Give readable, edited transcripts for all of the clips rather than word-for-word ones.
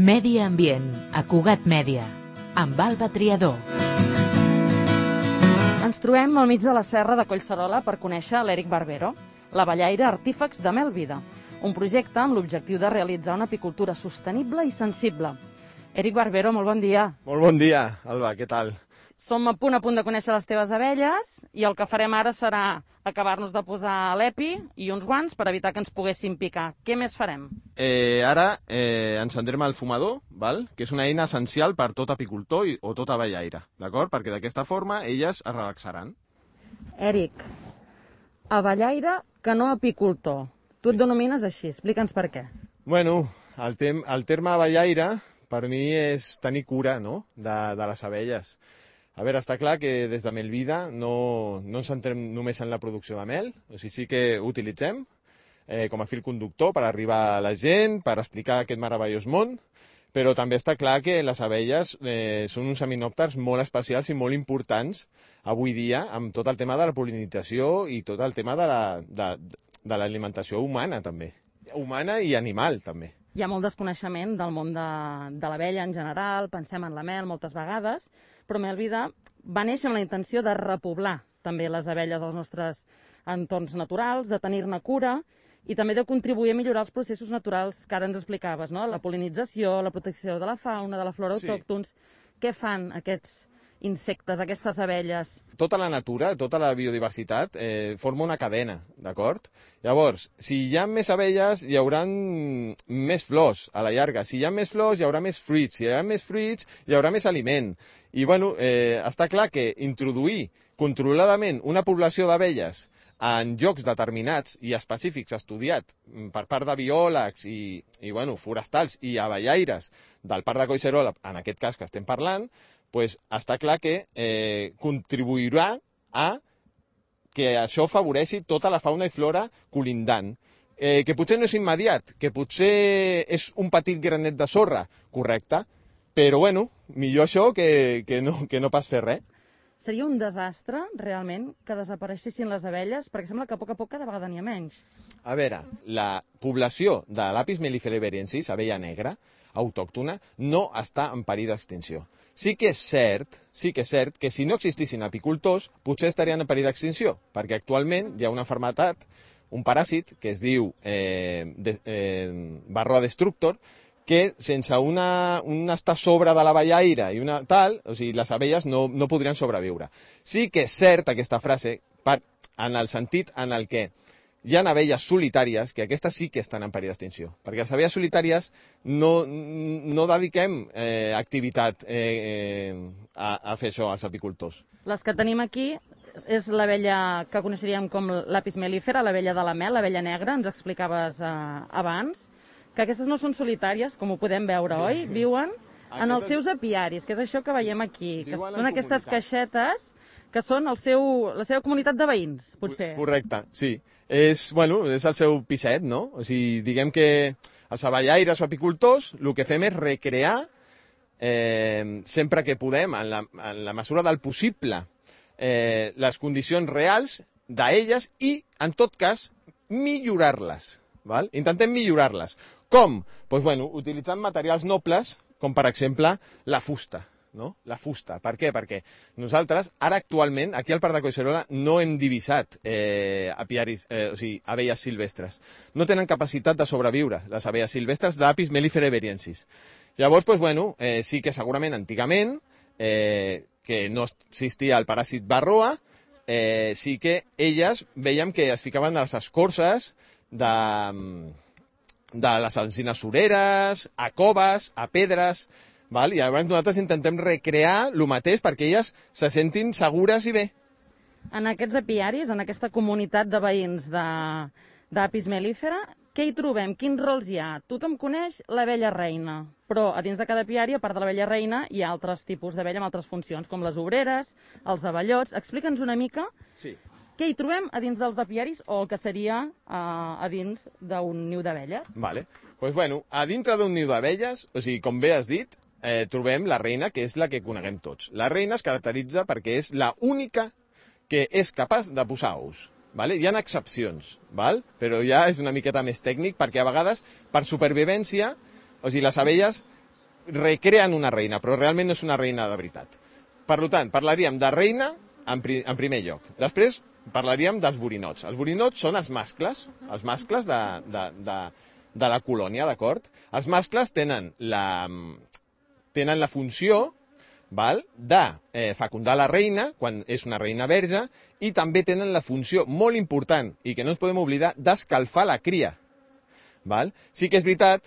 Medi Ambient, a Cugat Mèdia, amb Alba Triador. Ens trobem al mig de la serra de Collserola per conèixer l'Eric Barbero, l'abellaire Artífex de Mel Vida, un projecte amb l'objectiu de realitzar una apicultura sostenible i sensible. Eric Barbero, molt bon dia. Molt bon dia, Alba, què tal? Som a punt de conèixer les teves abelles i el que farem ara serà acabar-nos de posar l'EPI i uns guants per evitar que ens poguessin picar. Què més farem? Ara encendrem el fumador, val? Que és una eina essencial per tot apicultor o tot abellaire, d'acord? Perquè d'aquesta forma elles es relaxaran. Eric, abellaire que no apicultor. Tu et denomines així, explica'ns per què. Bueno, el terme abellaire per mi és tenir cura, no?, de les abelles. A veure, està clar que des de Melvida no ens centrem només en la producció de mel, o sigui, sí que ho utilitzem com a fil conductor per arribar a la gent, per explicar aquest meravellós món, però també està clar que les abelles són uns seminòpters molt especials i molt importants avui dia amb tot el tema de la pol·linització i tot el tema de l'alimentació humana també, humana i animal també. Hi ha molt desconeixement del món de l'abella en general, pensem en la mel moltes vegades, però Mel Vida va néixer amb la intenció de repoblar també les abelles als nostres entorns naturals, de tenir-ne cura i també de contribuir a millorar els processos naturals que ara ens explicaves, no? La pol·linització, la protecció de la fauna, de la flora autòctons. Què fan aquests insectes, aquestes abelles? Tota la natura, tota la biodiversitat forma una cadena, d'acord? Llavors, si hi ha més abelles, hi haurà més flors a la llarga. Si hi ha més flors, hi haurà més fruits. Si hi ha més fruits, hi haurà més aliment. I, bueno, està clar que introduir controladament una població d'abelles en llocs determinats i específics estudiat per part de biòlegs i forestals i abellaires del Parc de Collserola, en aquest cas que estem parlant, pues està clar que contribuirà a que això afavoreixi tota la fauna i flora colindant. Que potser no és immediat, que potser és un petit granet de sorra, correcte, però bueno, millor això que no pas fer res. Seria un desastre, realment, que desapareixessin les abelles, perquè sembla que a poc cada vegada n'hi ha menys. A veure, la població de l'Apis mellifera iberiensis, abella negra, autòctona, no està en perill d'extinció. Sí que és cert que si no existissin apicultors, potser estarien en perill d'extinció, perquè actualment hi ha una malaltia, un paràsit, que es diu Varroa destructor, que sense un estar sobre de l'abellaire i una tal, o sigui, les abelles no podrien sobreviure. Sí que és cert aquesta frase en el sentit en el que hi ha abelles solitàries que aquestes sí que estan en perill d'extinció, perquè les abelles solitàries no dediquem activitat a fer això als apicultors. Les que tenim aquí és l'abella que coneixeríem com l'Apis mellifera, l'abella de la mel, l'abella negra, ens explicaves abans, que aquestes no són solitàries, com ho podem veure, oi? Viuen en els seus apiaris, que és això que veiem aquí, que són aquestes caixetes que són la seva comunitat de veïns, potser. Correcte, sí. És el seu piset, no? O sigui, diguem que els abellaires o apicultors el que fem és recrear sempre que podem, en la mesura del possible, les condicions reals d'elles i, en tot cas, millorar-les. Intentem millorar-les. Com? Doncs, utilitzant materials nobles, com per exemple la fusta. No? La fusta. Per què? Perquè nosaltres, ara actualment, aquí al Parc de Collserola, no hem divisat apiaris, o sigui, abelles silvestres. No tenen capacitat de sobreviure, les abelles silvestres d'Apis mellifera iberiensis. Llavors, sí que segurament antigament, que no existia el paràsit Varroa, sí que elles veiem que es ficaven a les escorces de les alzines sureres, a coves, a pedres, i llavors nosaltres intentem recrear el mateix perquè elles se sentin segures i bé. En aquests apiaris, en aquesta comunitat de veïns d'Apis mellifera, què hi trobem? Quins rols hi ha? Tothom coneix l'abella reina, però a dins de cada apiari, a part de l'abella reina, hi ha altres tipus d'abella amb altres funcions, com les obreres, els abellots. Explica'ns una mica què hi trobem a dins dels apiaris o el que seria a dins d'un niu d'abelles. A dintre d'un niu d'abelles, o sigui, com bé has dit, trobem la reina, que és la que coneguem tots. La reina es caracteritza perquè és la única que és capaç de posar ous. Hi ha excepcions, però ja és una miqueta més tècnic perquè a vegades, per supervivència, o sigui, les abelles recreen una reina, però realment no és una reina de veritat. Per tant, parlaríem de reina en primer lloc. Després parlaríem dels borinots. Els borinots són els mascles de la colònia, d'acord? Els mascles tenen la funció, val, de fecundar la reina, quan és una reina verge, i també tenen la funció molt important, i que no ens podem oblidar, d'escalfar la cria. Val? Sí que és veritat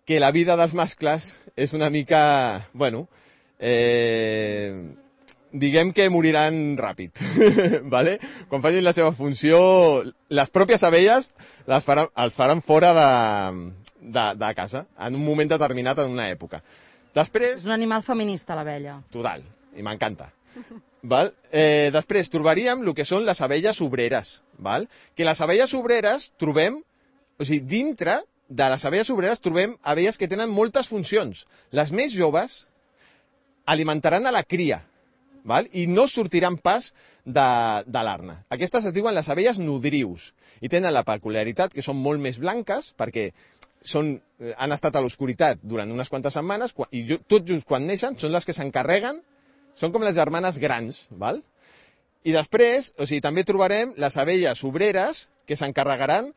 que la vida dels mascles és una mica, bueno, diguem que moriran ràpid, vale? Quan facin la seva funció, les pròpies abelles els faran fora de casa, en un moment determinat, en una època. Després... És un animal feminista, l'abella. Total, i m'encanta. Val? Després trobaríem el que són les abelles obreres, val? Que les abelles obreres trobem, o sigui, dintre de les abelles obreres trobem abelles que tenen moltes funcions. Les més joves alimentaran a la cria, val? I no sortiran pas de l'arna. Aquestes es diuen les abelles nodrius i tenen la peculiaritat que són molt més blanques perquè han estat a l'oscuritat durant unes quantes setmanes i tot just quan neixen són les que s'encarreguen, són com les germanes grans, val? I després, o sigui, també trobarem les abelles obreres que s'encarregaran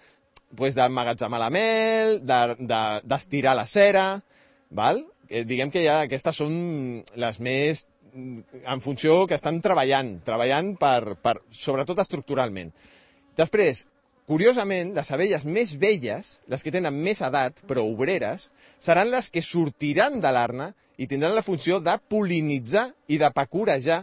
d'emmagatzemar la mel, d'estirar la cera, val? Diguem que ja aquestes són les més en funció que estan treballant sobretot estructuralment. Després, curiosament, les abelles més velles, les que tenen més edat, però obreres, seran les que sortiran de l'arna i tindran la funció de pol·linitzar i de pecurejar.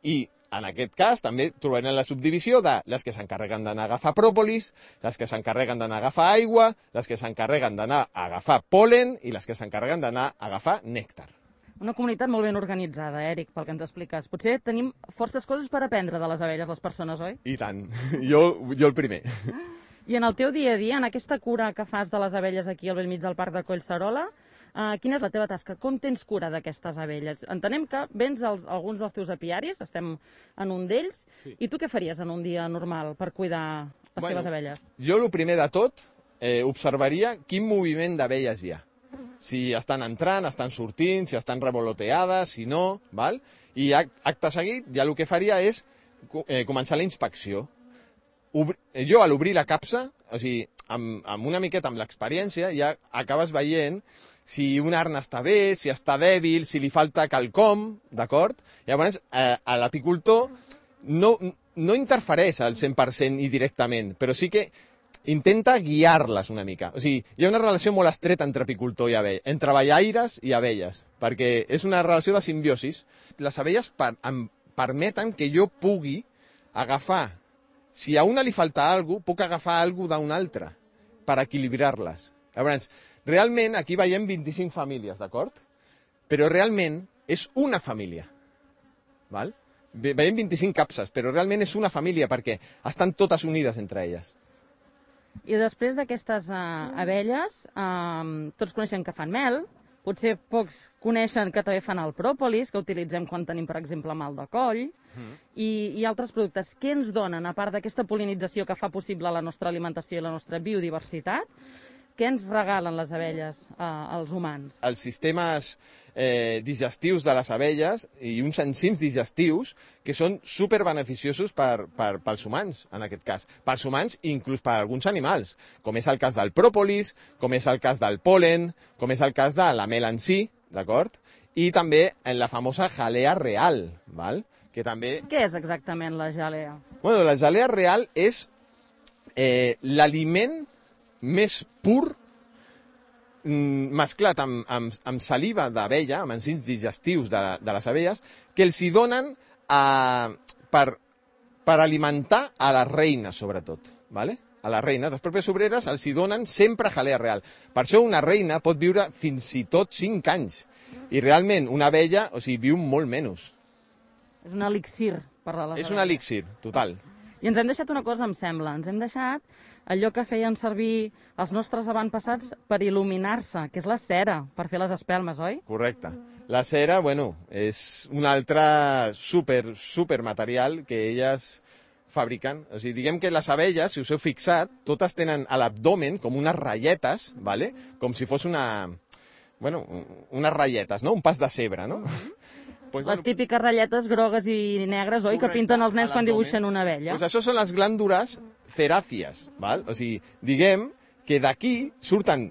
I, en aquest cas, també trobarem la subdivisió de les que s'encarreguen d'anar a agafar pròpolis, les que s'encarreguen d'anar a agafar aigua, les que s'encarreguen d'anar a agafar pol·len i les que s'encarreguen d'anar a agafar nèctar. Una comunitat molt ben organitzada, Eric, pel que ens expliques. Potser tenim forces coses per aprendre de les abelles, les persones, oi? I tant. Jo el primer. I en el teu dia a dia, en aquesta cura que fas de les abelles aquí al bell mig del parc de Collserola, quina és la teva tasca? Com tens cura d'aquestes abelles? Entenem que vens alguns dels teus apiaris, estem en un d'ells, sí. I tu què faries en un dia normal per cuidar les teves abelles? Jo, el primer de tot, observaria quin moviment d'abelles hi ha. Si estan entrant, estan sortint, si estan revoloteades, si no, val? I acte seguit ja el que faria és començar la inspecció. Jo, a l'obrir la capsa, o sigui, amb una miqueta amb l'experiència, ja acabes veient si una arna està bé, si està dèbil, si li falta quelcom, d'acord? Llavors, l'apicultor no interfereix al 100% i directament, però sí que intenta guiar-les una mica. O sigui, hi ha una relació molt estreta entre apicultor i abella, entre ballaires i abelles, perquè és una relació de simbiosis. Les abelles em permeten que jo pugui agafar, si a una li falta alguna cosa, puc agafar alguna cosa d'una altra, per equilibrar-les. Llavors, realment, aquí veiem 25 famílies, d'acord? Però realment és una família, val? Veiem 25 capses, però realment és una família, perquè estan totes unides entre elles. I després d'aquestes abelles, tots coneixem que fan mel, potser pocs coneixen que també fan el pròpolis, que utilitzem quan tenim, per exemple, mal de coll, i altres productes. Què ens donen, a part d'aquesta pol·linització que fa possible la nostra alimentació i la nostra biodiversitat, què ens regalen les abelles als humans? Els sistemes digestius de les abelles i uns enzims digestius que són superbeneficiosos pels humans, en aquest cas. Pels humans i inclús per alguns animals, com és el cas del pròpolis, com és el cas del pol·len, com és el cas de la mel en si, d'acord? I també en la famosa jalea real, val? Que també... Què és exactament la jalea? Bueno, la jalea real és l'aliment més pur mesclat amb saliva d'abella, amb enzims digestius de les abelles, que els hi donen per alimentar a les reines, sobretot. ¿Vale? A les reines, les pròpies obreres, els hi donen sempre jalea real. Per això una reina pot viure fins i tot 5 anys. I realment una abella, o sigui, viu molt menys. És un elixir per a les abelles. És un elixir, total. I ens hem deixat una cosa, em sembla. Ens hem deixat allò que feien servir els nostres avantpassats per il·luminar-se, que és la cera, per fer les espelmes, oi? Correcte. La cera, bueno, és un altre super material que elles fabriquen. O sigui, diguem que les abelles, si us heu fixat, totes tenen a l'abdomen com unes ratlletes, ¿vale? Com si fos una bueno, unes ratlletes, no? Un pas de cebre, no? Pues, Les típiques ratlletes grogues i negres, oi? Que pinten els nens quan dibuixen una abella. Pues això són les glàndules ceràcies, val? O sigui, diguem que d'aquí surten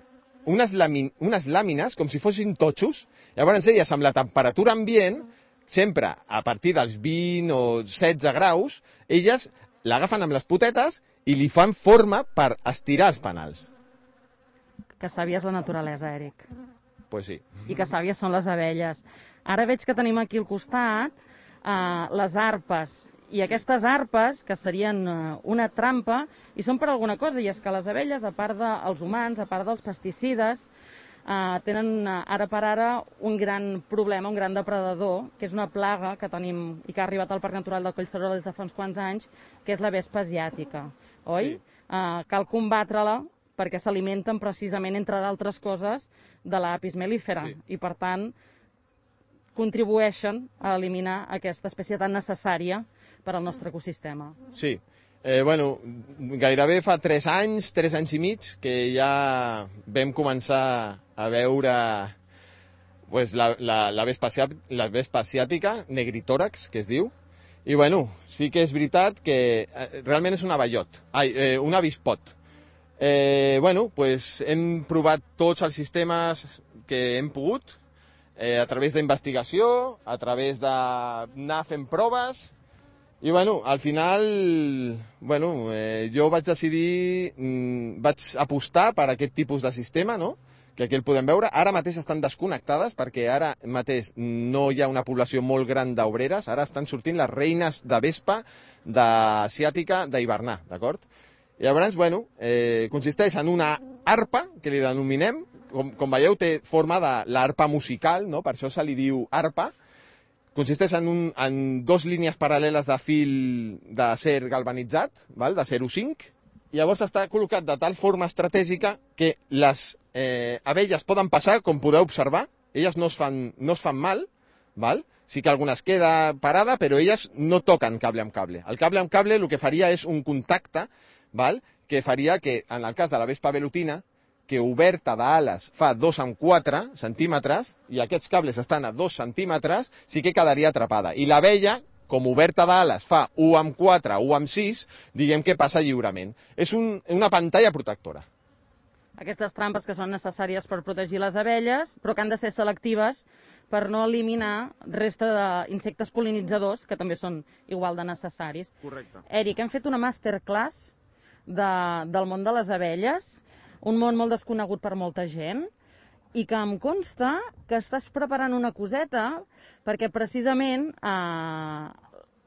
unes làmines com si fossin totxos. Llavors elles, amb la temperatura ambient, sempre a partir dels 20 o 16 graus, elles l'agafen amb les potetes i li fan forma per estirar els penals. Que sàvia és la naturalesa, Eric. Pues sí. I que sàvies són les abelles. Ara veig que tenim aquí al costat les arpes. I aquestes arpes, que serien una trampa, i són per alguna cosa, i és que les abelles, a part dels humans, a part dels pesticides, tenen ara per ara un gran problema, un gran depredador, que és una plaga que tenim i que ha arribat al Parc Natural del Collserola des de fa uns quants anys, que és la vespa asiàtica, oi? Sí. Cal combatre-la perquè s'alimenten precisament, entre d'altres coses, de l'apis mellifera. Sí. I, per tant, contribueixen a eliminar aquesta espècie tan necessària per al nostre ecosistema. Sí. Bueno, gairebé fa 3 anys i mig, que ja vam començar a veure pues, la vespa asiàtica, negritòrax, que es diu, i bueno, sí que és veritat que realment és un abellot, un avispot. Bueno, pues hem provat tots els sistemes que hem pogut, a través d'investigació, a través d'anar fent proves, i bueno, al final, bueno, jo vaig decidir, vaig apostar per aquest tipus de sistema, no?, que aquí el podem veure. Ara mateix estan desconnectades perquè ara mateix no hi ha una població molt gran d'obreres, ara estan sortint les reines de vespa asiàtica d'hivernar, d'acord? I llavors, bueno, consisteix en una arpa, que li denominem, com veieu té forma de l'arpa musical, no? Per això se li diu arpa. Consisteix en 2 línies paral·leles de fil d'acer galvanitzat, val? De 0,5, i llavors està col·locat de tal forma estratègica que les abelles poden passar, com podeu observar, elles no es fan mal, val? Sí que alguna es queda parada, però elles no toquen cable amb cable. El cable amb cable el que faria és un contacte, val? Que faria que, en el cas de la vespa velutina, que oberta d'ales fa 2,4 centímetres, i aquests cables estan a 2 centímetres, sí que quedaria atrapada. I l'abella, com oberta d'ales fa 1,4, 1,6, diguem que passa lliurement. És una pantalla protectora. Aquestes trampes que són necessàries per protegir les abelles, però que han de ser selectives per no eliminar resta d'insectes pol·linitzadors, que també són igual de necessaris. Correcte. Eric, hem fet una masterclass del món de les abelles, un món molt desconegut per molta gent, i que em consta que estàs preparant una coseta perquè precisament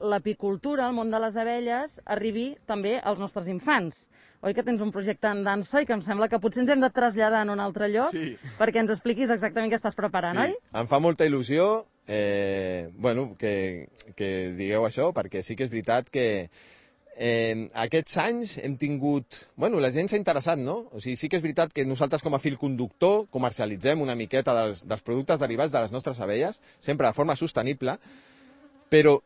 l'apicultura, el món de les abelles, arribi també als nostres infants. Oi que tens un projecte en dansa i que em sembla que potser ens hem de traslladar en un altre lloc perquè ens expliquis exactament què estàs preparant, oi? Em fa molta il·lusió bueno, que digueu això, perquè sí que és veritat que aquests anys hem tingut... Bueno, la gent s'ha interessat, no? O sigui, sí que és veritat que nosaltres com a fil conductor comercialitzem una miqueta dels productes derivats de les nostres abelles, sempre de forma sostenible, però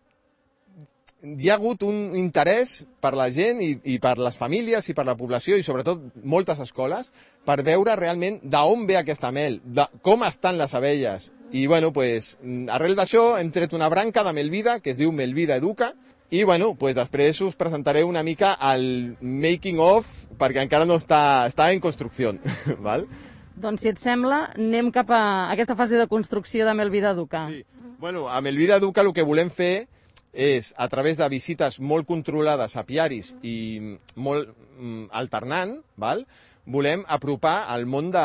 hi ha hagut un interès per la gent i per les famílies i per la població i sobretot moltes escoles per veure realment d'on ve aquesta mel, de com estan les abelles. I bueno, pues, arrel d'això hem tret una branca de Melvida que es diu Melvida Educa i bueno, pues, després us presentaré una mica el making of perquè encara no està en construcció. Val? Doncs si et sembla, anem cap a aquesta fase de construcció de Melvida Educa. Sí. Bueno, a Melvida Educa el que volem fer és, a través de visites molt controlades a apiaris i molt alternant, val? Volem apropar el món de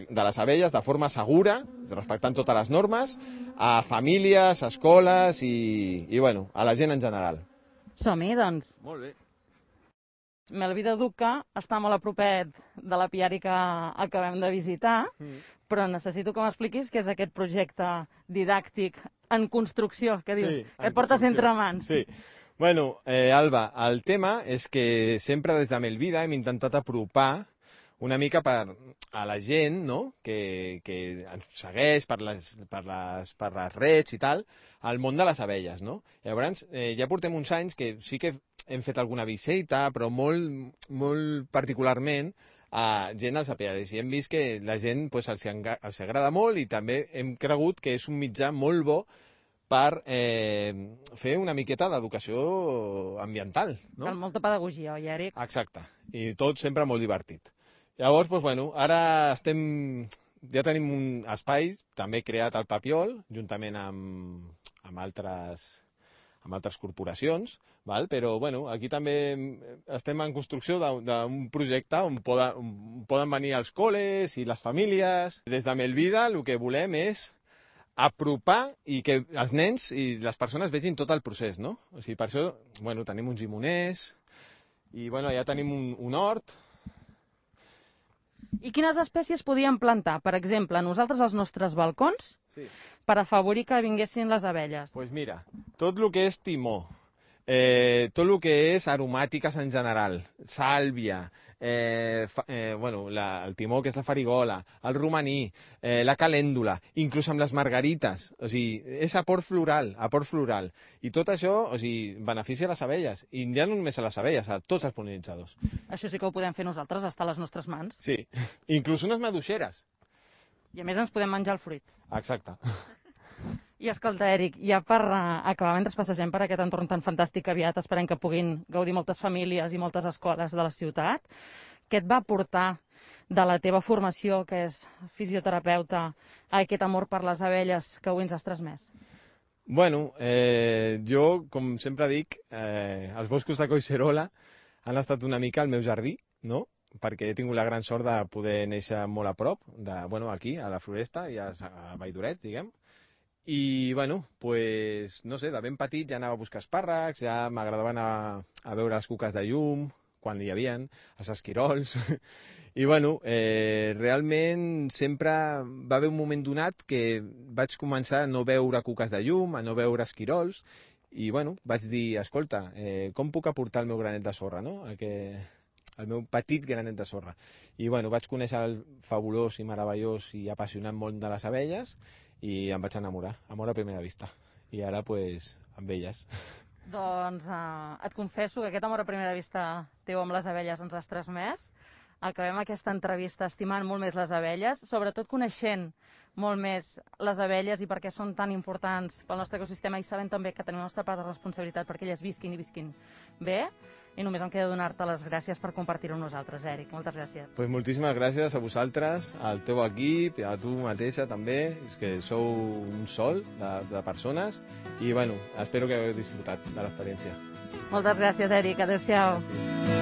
les abelles de forma segura, respectant totes les normes, a famílies, a escoles i bueno, a la gent en general. Som-hi, doncs. Molt bé. Melvida Educa està molt a propet de l'apiari que acabem de visitar, però necessito que m'expliquis què és aquest projecte didàctic en construcció, que dius, que et portes entre mans. Sí. Bueno, Alba, el tema és que sempre des de Melvida hem intentat apropar una mica a la gent, no?, que ens segueix per les reds i tal, al món de les abelles, no? Llavors, ja portem uns anys que sí que hem fet alguna visita, però molt particularment gent als apiaris. I hem vist que la gent pues, els agrada molt i també hem cregut que és un mitjà molt bo per fer una miqueta d'educació ambiental. No? Amb molta pedagogia, oi, Eric? Exacte. I tot sempre molt divertit. Llavors, doncs, bueno, ara ja tenim un espai també creat al Papiol, juntament amb altres corporacions, val? Però bueno, aquí també estem en construcció d'un projecte on poden venir els col·les i les famílies. Des de Melvida el que volem és apropar i que els nens i les persones vegin tot el procés, no? O sigui, per això bueno, tenim uns llimoners i bueno, ja tenim un hort. I quines espècies podíem plantar? Per exemple, nosaltres als nostres balcons, Sí. per afavorir que vinguessin les abelles. Doncs pues mira, tot el que és timó, tot el que és aromàtiques en general, sàlvia, bueno, el timó, que és la farigola, el romaní, la calèndula, inclús amb les margarites, o sigui, és aport floral. I tot això, o sigui, beneficia a les abelles, i ja no només a les abelles, a tots els pol·linitzadors. Això sí que ho podem fer nosaltres, està a les nostres mans. Sí, inclús unes maduixeres. I a més ens podem menjar el fruit. Exacte. I escolta, Eric, ja per acabar, mentre passegem per aquest entorn tan fantàstic que aviat esperem que puguin gaudir moltes famílies i moltes escoles de la ciutat, què et va portar de la teva formació, que és fisioterapeuta, a aquest amor per les abelles que avui ens has transmès? Bueno, jo, com sempre dic, els boscos de Collserola han estat una mica el meu jardí, no?, perquè he tingut la gran sort de poder néixer molt a prop, aquí, a la Floresta i a Valldoret, diguem. I, bueno, pues, no sé, de ben petit ja anava a buscar espàrrecs, ja m'agradava anar a veure les cuques de llum, quan hi havien, els esquirols. I, bueno, realment sempre va haver un moment donat que vaig començar a no veure cuques de llum, a no veure esquirols, i, bueno, vaig dir, escolta, com puc aportar el meu granet de sorra, no?, el meu petit granet de sorra. I, bueno, vaig conèixer el fabulós i meravellós i apassionant món de les abelles i em vaig enamorar, amor a primera vista. I ara, pues, amb elles. Doncs et confesso que aquest amor a primera vista teu amb les abelles ens has transmès. Acabem aquesta entrevista estimant molt més les abelles, sobretot coneixent molt més les abelles i per què són tan importants pel nostre ecosistema i sabent també que tenim la nostra part de responsabilitat perquè elles visquin i visquin bé. I només em queda donar-te les gràcies per compartir-ho amb nosaltres, Eric. Moltes gràcies. Pues moltíssimes gràcies a vosaltres, al teu equip, a tu mateixa també, és que sou un sol de persones i, bueno, espero que hagueu disfrutat de l'experiència. Moltes gràcies, Eric. Adéu-siau. Sí.